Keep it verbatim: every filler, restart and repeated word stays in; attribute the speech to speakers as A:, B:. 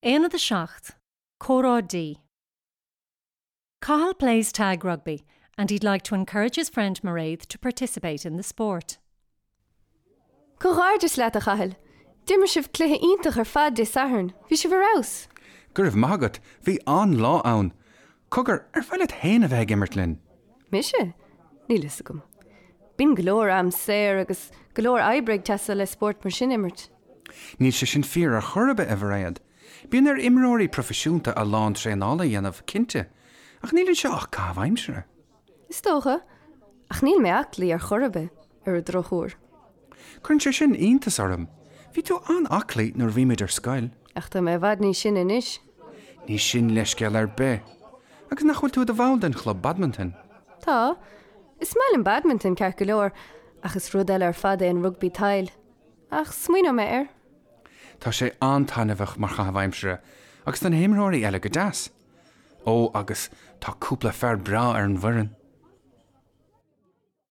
A: Aonad a seacht, Comhrá D. Cathal plays tag rugby and he'd like to encourage his friend Mairead to participate in the sport.
B: Comhghairdeas leat a Chathail. D'imir sibh cluiche iontach ar fad Dé Sathairn, Bhí sibh ar fheabhas.
C: Go raibh maith agat, bhí an-lá ann. Cogar ar mhaith leat féin a bheith ag imirt linn.
B: Mise? Níl a fhios agam. Bíonn go leor am saor agus go leor oibre ag teastáil le spórt mar sin a imirt.
C: Níl sé sin fíor ar chor ar bith a Mhairéad. Bíonn ar imreoirí proifisiúnta a lán traenála a dhéanamh cinnte, ach níl anseo ach caitheamh aimsire.
B: Is dócha, ach níl mé aclaí ar chor ar bith ar an drochuair.
C: Cuireann sé sin iontas orm. Bhí tú an-aclaí nuair a bhí muid ar scoil.
B: Ach tá mé i bhfad níos sine anois.
C: Ní sin leithscéal ar bith. Agus nach bhfuil tú i do bhall den chlub badminton.
B: Tá, is maith liom badminton ceart go leor, ach is rud eile ar fad é an rugbaí tadhaill. Ach smaoineoidh mé air.
C: Tá sé an-taitneamhach mar chaitheamh aimsire, agus tá na himreoirí eile go deas. Ó agus tá cúpla fear breá ar an bhfoireann.